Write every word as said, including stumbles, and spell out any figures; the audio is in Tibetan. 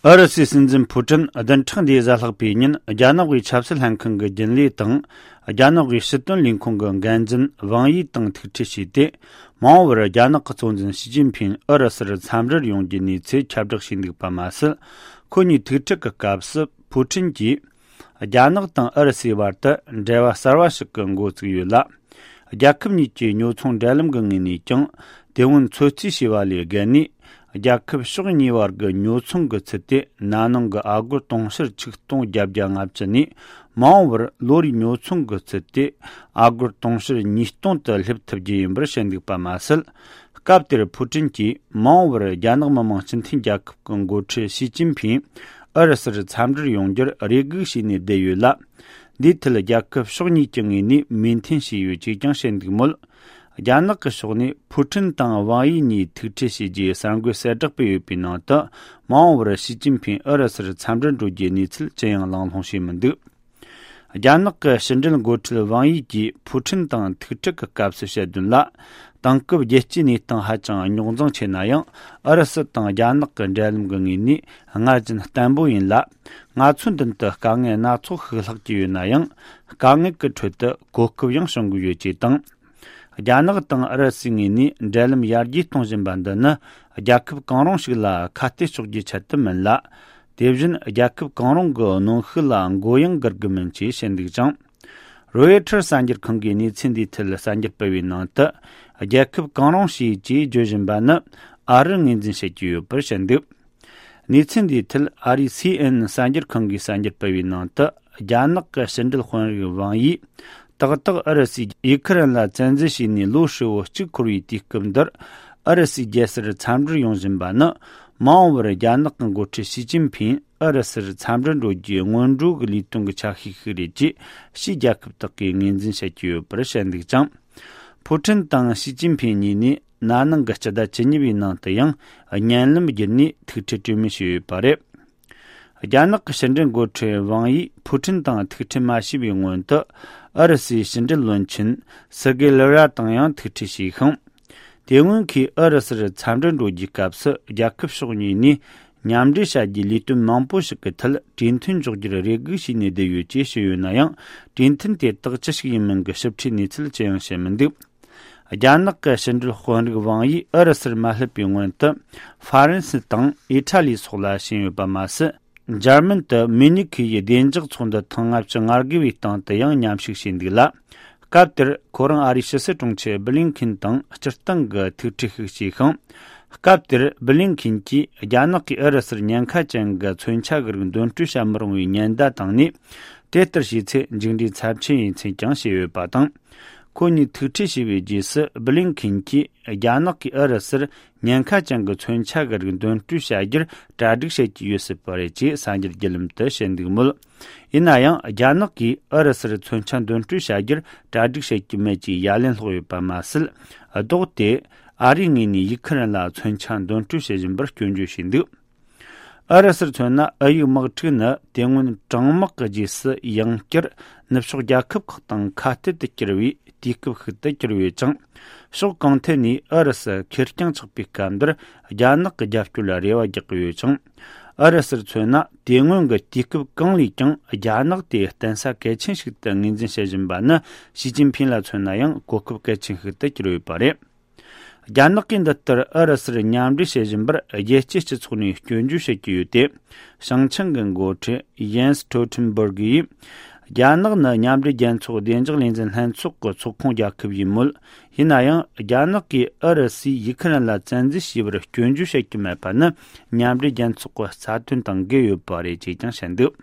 ཨུ་རུ་སུའི་སྲིད་འཛིན་ཕུ་ཀྲིན་བདུན་ཕྲག་འདིའི་གཟའ་ལྷག་པའི་ཉིན། རྒྱ་ནག་པའི་ཆབ་སྲིད་ལྷན་ཁང་གི་རྒྱུན་ལས་དང་། རྒྱ་ནག་པའི་སྲིད་དོན་ལས་ཁུངས་ཀྱི་འགན་འཛིན་ཝང་ཡི་དང་ཐུག་འཕྲད་བྱས་ཏེ། མ་འོངས་པར་རྒྱ་ནག་གི་གཙོ་འཛིན་ཞི་ཅིན་ཕིང་ཨུ་རུ་སུར་འཚམས་འདྲིར་ཡོང་རྒྱུའི་གནས་ཚུལ་ཁྱབ་བསྒྲགས་བྱས་འདུག་པ་མ་ཟད། ཁོ་གཉིས་ཐུག་འཕྲད་ཀྱི་སྐབས་སུ་ཕུ་ཀྲིན་གྱིས། རྒྱ་ནག་དང་ཨུ་རུ་སུའི་བར་དུ་འབྲེལ་བ་གསར་བ་ཞིག་གི་འགོ་བཙུགས་ཡོད་ལ། རྒྱལ་ཁབ་གཉིས་ཀྱི་ཉོ་ཚོང་འབྲེལ་ལམ་གྱི་ངོས་ནས་ཀྱང་། དེ་སྔོན་ཚོད་རྩིས་བྱས་པ་ལས་བརྒལ་ནས། རྒྱལ་ཁབ་ཕྱོགས་གཉིས་བར་གྱི་ཉོ་ཚོང་གི་ཚད་དེ་ན་ནིང་གི་ཨ་སྒོར་དུང་ཕྱུར་ཆིག་སྟོང་བརྒྱད་བརྒྱ་ལྔ་བཅུ་ནས། མ་འོངས་པར་ལོ་རེའི་ཉོ་ཚོང་གི་ཚད་དེ་ཨ་སྒོར་དུང་ཕྱུར་ཉིས་སྟོང་དུ་སླེབས་ཐུབ་རྒྱུ་ཡིན་པར་བཤད་འདུག་པ་མ་ཟད། སྐབས་དེར་ཕུ་ཀྲིན་གྱིས་མ་འོངས་པར་རྒྱ་ནག་མི་དམངས་སྤྱི་མཐུན་རྒྱལ་ཁབ་ཀྱི་འགོ་ཁྲིད་ཞི་ཅིན་ཕིང་ཨུ་རུ་སུར་འཚམས་འདྲིར་ཡོང་རྒྱུར་རེ་སྒུག་བྱས་ནས་བསྡད་ཡོད་ལ། འདིའི་ཐད་རྒྱལ་ཁབ་ཕྱོགས་གཉིས་ཀྱི་ངོས་ནས་མོས་མཐུན་བྱས་ཡོད་ཅེས་ཀྱང་བཤད་འདུག་མོད། རྒྱ་ནག་གི་ཕྱོགས་ནས་ཕུ་ཀྲིན་དང་ཝང་ཡི་གཉིས་ཐུག་འཕྲད་བྱས་རྗེས་གསར་འགོད་གསལ་བསྒྲགས་སྤེལ་ཡོད་པའི་ནང་དུ། མ་འོངས་པར་ཞི་ཅིན་ཕིང་ཨུ་རུ་སུར་འཚམས་འདྲིར་འགྲོ་རྒྱུའི་གནས་ཚུལ་ཅི་ཡང་གླེང་སློང་བྱས་མི་འདུག་རྒྱ་ནག་གི་ཕྱི་འབྲེལ་འགོ་ཁྲིད་ཝང་ཡི་གིས་ཕུ་ཀྲིན་དང་ཐུག་འཕྲད་ཀྱི་སྐབས་སུ་བཤད་དོན་ལ། དེང་སྐབས་རྒྱལ་སྤྱིའི་གནས་སྟངས་ཧ་ཅང་རྙོག་འཛིང་ཆེ་ན་ཡང་། ཨུ་རུ་སུ་དང་རྒྱ་ནག་གི་འབྲེལ་ལམ་གྱི་ངོས་ནས་སྔར་བཞིན་བརྟན་པོ་ཡིན་ལ། ང་ཚོའི་མདུན་དུ་དཀའ་ངལ་སྣ་ཚོགས་ཤིག་ལྷག་གི་ཡོད་ན་ཡང་། དཀའ་ངལ་གྱི་ཁྲོད་དུ་གོ་སྐབས་ཡང་བྱུང་གི་ཡོད་ཅེས་དང་། རྒྱ་ནག་དང་ཨུ་རུ་སུའི་ངོས་ནས་འབྲེལ་ལམ་ཡར་རྒྱས་གཏོང་བཞིན་པ་འདི་ནི། རྒྱལ་ཁབ་གང་རུང་ཞིག་ལ་ཁ་གཏད་གཅོག་རྒྱུའི་ཆེད་དུ་མིན་ལ། དེ་བཞིན་རྒྱལ་ཁབ་གང་རུང་གི་གནོན་ཤུགས་ལ་མགོ་ཡང་སྒུར་དགོས་མིན་ཅེས་བཤད་འདུག་ཅིང་། རོའི་ཊར་གསར་འགྱུར་ཁང་གིས་གནས་ཚུལ་འདིའི་ཐད་གསར་འགྱུར་སྤེལ་བའི་ནང་དུ། རྒྱལ་ཁབ་གང་རུང་ཞིག་ཅེས་བརྗོད་བཞིན་པ་ནི་ཨ་རིར་ངོས་འཛིན་བྱེད་ཀྱི་ཡོད་པར་བཤད་འདུག་གནས་ཚུལ་འདིའི་ཐད་ཨ་རིའི་སི་ཨེན་ཨེན་གསར་འགྱུར་ཁང་གིས་གསར་འགྱུར་སྤེལ་བའི་ནང་དུ། རྒྱ་ནག་གི་ཕྱི་འབྲེལ་དཔོན་རིགས་ཝང་ཡིས། ཏག་ཏག་ཨུ་རུ་སུས་ཡུ་ཁུ་རེན་ལ་བཙན་འཛུལ་བྱས་ནས་ལོ་ཧྲིལ་བོ་གཅིག་འཁོར་བའི་དུས་སྐབས་འདིར། ཨུ་རུ་སུའི་རྒྱལ་སར་འཚམས་འདྲིར་ཡོང་བཞིན་པ་ནི། མ་འོངས་པར་རྒྱ་ནག་གི་འགོ་ཁྲིད་ཞི་ཅིན་ཕིང་ཨུ་རུ་སུར་འཚམས་འདྲིར་འགྲོ་རྒྱུའི་སྔོན་འགྲོ་གི་ལས་དོན་གྱི་ཆ་ཤས་ཤིག་རེད་ཅེས། ཕྱིའི་རྒྱལ་ཁབ་དག་གིས་ངོས་འཛིན་བྱེད་ཀྱི་ཡོད་པར་བཤད་འདུག་ཅིང་། ཕུ་ཀྲིན་དང་ཞི་ཅིན་ཕིང་གཉིས་ནས་ན་ནིང་གི་སྤྱི་ཟླ་བཅུ་གཉིས་པའི་ནང་དུ་ཡང་བརྙན་ལམ་བརྒྱུད་ནས་ཐུག་འཕྲད་གྲོས་མོལ་བྱས་ཡོད་པ་རེད། རྒྱ་ནག་གི་ཕྱི་འབྲེལ་འགོ་ཁྲིད་ཝང་ཡིས་ཕུ་ཀྲིན་དང་ཐུག་འཕྲད་མ་བྱས་པའི་སྔོན་དུ། ཨུ་རུ་སུའི་ཕྱི་འབྲེལ་བློན་ཆེན་སེར་གེ་ལེ་ར་དང་ཡང་ཐུག་འཕྲད་བྱས་ཤིང་། དེ་སྔོན་གྱི་ཨུ་རུ་སུར་འཚམས་འདྲིར་འགྲོ་རྒྱུའི་སྐབས་སུ། རྒྱལ་ཁབ་ཕྱོགས་གཉིས་ནས་མཉམ་འབྲེལ་བྱ་རྒྱུའི་ལས་དོན་མང་པོ་ཞིག་གི་ཐད་གྲོས་མཐུན་འཇོག་རྒྱུར་རེ་སྒུག་བྱས་ནས་བསྡད་ཡོད་ཅེས་བཤད་ཡོད་ན་ཡང་། གྲོས་མཐུན་དེ་དག་ཅི་ཞིག་ཡིན་མིན་གྱི་ཞིབ་ཕྲའི་གནས་ཚུལ་ཅི་ཡང་བཤད་མི་འདུག་རྒྱ་ནག་གི་ཕྱི་འབྲེལ་དཔོན་རིགས་ཝང་ཡིས་ཨུ་རུ་སུར་མ་སླེབས་པའི་སྔོན་དུ། ཧྥ་རན་སི་དང་ཨི་ཊ་ལི་སོགས་ལ་ཕྱིན་ཡོད་པ་མ་ཟད། འཇར་མན་དུ་མུ་ནིག་ཁུལ་ཡི་བདེ་འཇགས་ཚོགས་འདུ་ཐེངས་ལྔ་བཅུ་ང་དགུ་བའི་སྟེང་དུ་ཡང་མཉམ་ཞུགས་བྱས་འདུག་ལ། སྐབས་དེར་ཁོ་རང་ཨ་རིའི་ཕྱི་སྲིད་དྲུང་ཆེ་བྷི་ལིན་ཁིན་དང་སྤྱིར་བཏང་གི་ཐུག་འཕྲད་ཤིག་བྱས་ཤིང་། སྐབས་དེར་བྷི་ལིན་ཁིན་གྱིས་རྒྱ་ནག་གིས་ཨུ་རུ་སུར་ཉེན་ཁ་ཅན་གྱི་མཚོན་ཆ་གི་རིགས་འདོན་སྤྲོད་བྱ་མི་རུང་བའི་ཉེན་བརྡ་བཏང་ནས། དེ་ལྟར་བྱས་ཚེ་མཇུག་འབྲས་ཚབས་ཆེན་ཡིན་ཚུལ་ཀྱང་བཤད་ཡོད་པ་དང་། ཁོ་གཉིས་ཐུག་འཕྲད་བྱས་པའི་རྗེས་སུ་བྷི་ལིན་ཁིན་གྱིས་རྒྱ་ནག་གིས་ཨུ་རུ་སུར་ཉེན་ཁ་ཅན་གྱི་མཚོན་ཆ་གི་རིགས་འདོན་སྤྲོད་བྱ་རྒྱུར་གྲ་སྒྲིག་བྱེད་ཀྱི་ཡོད་སྲིད་པ་རེད་ཅེས་གསར་འགྱུར་བརྒྱུད་ལམ་དུ་བཤད་འདུག་མོད། ཡིན་ན་ཡང་རྒྱ་ནག་གིས་ཨུ་རུ་སུར་མཚོན་ཆ་འདོན་སྤྲོད་བྱ་རྒྱུར་གྲ་སྒྲིག་བྱེད་ཀྱི་མེད་ཅེས་ཡ་ལན་སློག་ཡོད་པ་མ་ཟད། ལྡོག་སྟེ་ཨ་རིའི་ངོས་ནས་ཡུ་ཁུ་རེན་ལ་མཚོན་ཆ་འདོན་སྤྲོད་བྱེད་བཞིན་པར་སྐྱོན་བརྗོད་བྱས་འདུག་ཨུ་རུ་སུར་མཚོན་ན། ཨུ་ཡུག་དམག་འཁྲུག་ནི་དེ་སྔོན་གྲང་དམག་གི་རྗེས་སུ་ཡང་བསྐྱར་ནུབ་ཕྱོགས་རྒྱལ་ཁབ་ཁག་དང་ཁ་གཏད་དུ་གྱུར་བའི་དུས་སྐབས་ཤིག་ཏུ་གྱུར་ཡོད་ཅིང་། ཕྱོགས་གང་ཐད་ནས་ཨུ་རུ་སུ་ཁེར་རྐྱང་ཆགས་པའི་སྐབས་འདིར་རྒྱ་ནག་གི་རྒྱབ་སྐྱོར་ལ་རེ་བ་རྒྱག་གི་ཡོད་ཅིང་། ཨུ་རུ་སུར་མཚོན་ན། དེ་སྔོན་གྱི་དུས་སྐབས་གང་ལས་ཀྱང་རྒྱ་ནག་དེ་བརྟེན་ས་གལ་ཆེན་ཞིག་ཏུ་ངོས་འཛིན་བྱེད་བཞིན་པ་ནི། ཞི་ཅིན་ཕིང་ལ་མཚོན་ན་ཡང་གོ་སྐབས་གལ་ཆེན་ཞིག་ཏུ་གྱུར་ཡོད་པ་རེད། རྒྱ་ནག་གིས་འདི་ལྟར་ཨུ་རུ་སུར་མཉམ་འབྲེལ་བྱེད་བཞིན་པར་རྒྱལ་སྤྱིའི་སྤྱི་ཚོགས་ནས་སྐྱོན་བརྗོད་བྱེད་ཀྱི་ཡོད་དེ། བྱང་ཆིངས་ཀྱི་འགོ་ཁྲིད་ཡེན་སི་སྟོལ་ཊེན་སྦུར་གིས། རྒྱ་ནག་ནི་མཉམ་འབྲེལ་རྒྱལ་ཚོགས་བདེ་འཇགས་ལས་འཛིན་ལྷན་ཚོགས་ཀྱི་ཚོགས་ཁོངས་རྒྱལ་ཁབ་ཡིན་མོད། ཡིན་ན་ཡང་རྒྱ་ནག་གིས་ཨུ་རུ་སུས་ཡུ་ཁུ་རེན་ལ་བཙན་འཛུལ་བྱས་པར་སྐྱོན་བརྗོད་བྱེད་ཀྱི་མེད་པ་ནི། མཉམ་འབྲེལ་རྒྱལ་ཚོགས་ཀྱི་རྩ་དོན་དང་འགལ་ཡོད་པ་རེད་ཅེས་ཀྱང་བཤད་འདུག